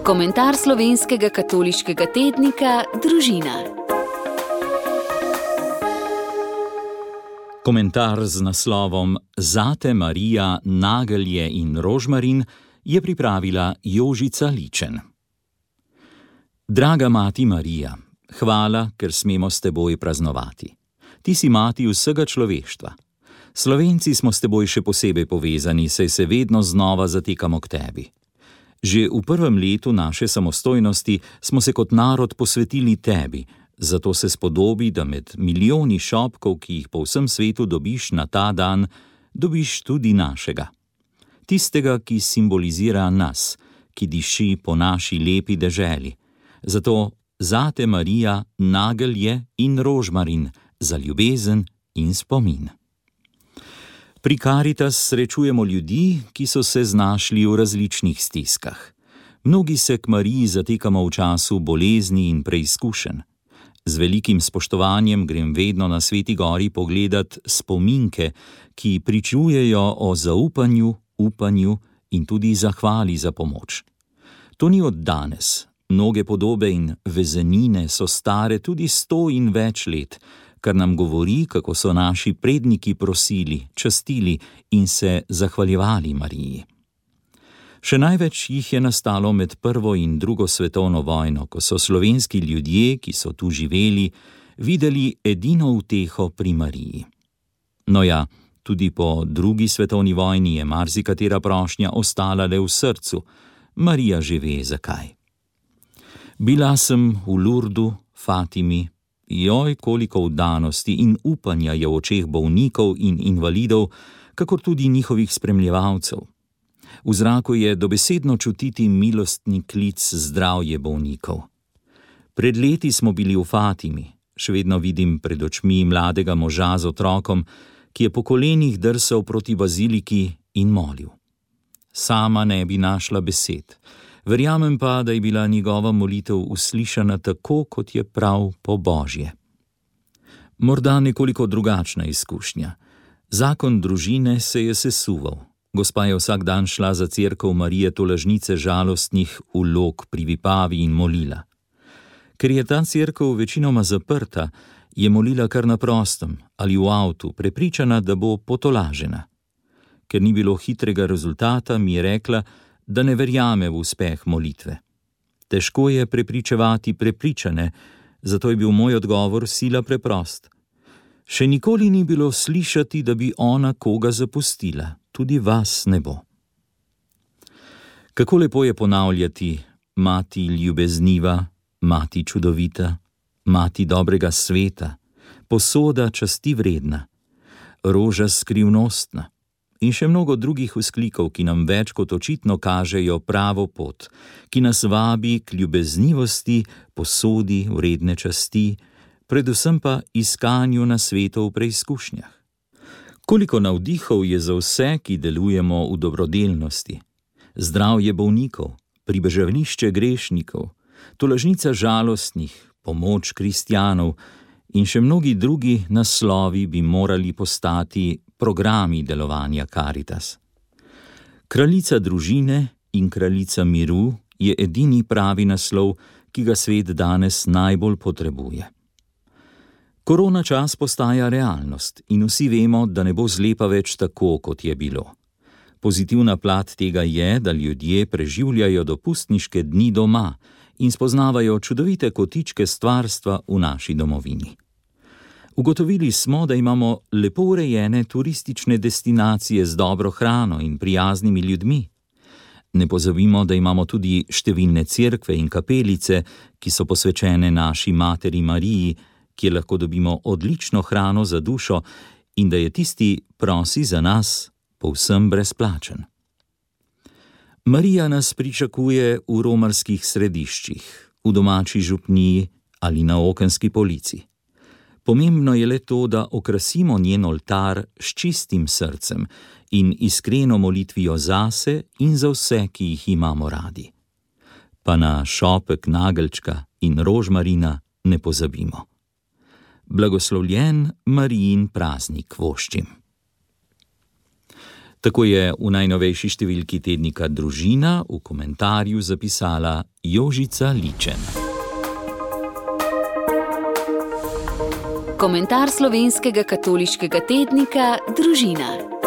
Komentar slovenskega katoliškega tednika Družina. Komentar z naslovom Zate Marija, nagelje in rožmarin je pripravila Jožica Ličen. Draga mati Marija, hvala, ker smemo s teboj praznovati. Ti si mati vsega človeštva. Slovenci smo s teboj še posebej povezani, saj se vedno znova zatekamo k tebi. Že v prvem letu naše samostojnosti smo se kot narod posvetili tebi, zato se spodobi, da med milijoni šopkov, ki jih po vsem svetu dobiš na ta dan, dobiš tudi našega. Tistega, ki simbolizira nas, ki diši po naši lepi deželi. Zato zate Marija, nagelje in rožmarin, za ljubezen in spomin. Pri Karitas srečujemo ljudi, ki so se znašli v različnih stiskah. Mnogi se k Mariji zatekamo v času bolezni in preizkušenj. Z velikim spoštovanjem grem vedno na Sveti gori pogledat spominke, ki pričujejo o zaupanju, upanju in tudi zahvali za pomoč. To ni od danes. Mnoge podobe in vezenine so stare tudi 100 in več let, kar nam govori, kako so naši predniki prosili, častili in se zahvaljevali Mariji. Še največ jih je nastalo med prvo in drugo svetovno vojno, ko so slovenski ljudje, ki so tu živeli, videli edino uteho pri Mariji. No ja, tudi po drugi svetovni vojni je marsikatera prošnja ostala le v srcu. Marija že ve, zakaj. Bila sem v Lurdu, Fatimi. Joj, koliko vdanosti in upanja je v očeh bolnikov in invalidov, kakor tudi njihovih spremljevalcev. V zraku je dobesedno čutiti milostni klic zdravje bolnikov. Pred leti smo bili v Fatimi. Še vedno vidim pred očmi mladega moža z otrokom, ki je po kolenih drsal proti baziliki in molil. Sama ne bi našla besed. Verjamem pa, da je bila njegova molitev uslišana tako, kot je prav po Božje. Morda nekoliko drugačna izkušnja. Zakon družine se je sesuval. Gospa je vsak dan šla za cerkev Marije Tolažnice žalostnih v Log pri Vipavi in molila. Ker je ta cerkev večinoma zaprta, je molila kar na prostem ali v avtu, prepričana, da bo potolažena. Ker ni bilo hitrega rezultata, mi je rekla, da ne verjame v uspeh molitve. Težko je prepričevati prepričane, zato je bil moj odgovor sila preprost. Še nikoli ni bilo slišati, da bi ona koga zapustila, tudi vas ne bo. Kako lepo je ponavljati: mati ljubezniva, mati čudovita, mati dobrega sveta, posoda časti vredna, roža skrivnostna. In še mnogo drugih vzklikov, ki nam več kot očitno kažejo pravo pot, ki nas vabi k ljubeznivosti, posodi vredne časti, predvsem pa iskanju na svetu v preizkušnjah. Koliko navdihov je za vse, ki delujemo v dobrodelnosti. Zdravje bolnikov, pribežališče grešnikov, tolažnica žalostnih, pomoč kristjanov in še mnogi drugi naslovi bi morali postati programi delovanja Karitas. Kraljica družine in kraljica miru je edini pravi naslov, ki ga svet danes najbolj potrebuje. Korona čas postaja realnost in vsi vemo, da ne bo zlepa več tako, kot je bilo. Pozitivna plat tega je, da ljudje preživljajo dopustniške dni doma in spoznavajo čudovite kotičke stvarstva v naši domovini. Ugotovili smo, da imamo lepo urejene turistične destinacije z dobro hrano in prijaznimi ljudmi. Ne pozabimo, da imamo tudi številne cerkve in kapelice, ki so posvečene naši materi Mariji, kjer lahko dobimo odlično hrano za dušo in da je tisti prosi za nas povsem brezplačen. Marija nas pričakuje v romarskih središčih, v domači župniji ali na okenski polici. Pomembno je le to, da okrasimo njen oltar s čistim srcem in iskreno molitvijo zase in za vse, ki jih imamo radi. Pa na šopek nageljčka in rožmarina ne pozabimo. Blagoslovljen Marijin praznik voščim. Tako je v najnovejši številki tednika Družina v komentarju zapisala Jožica Ličen. Komentar slovenskega katoliškega tednika Družina.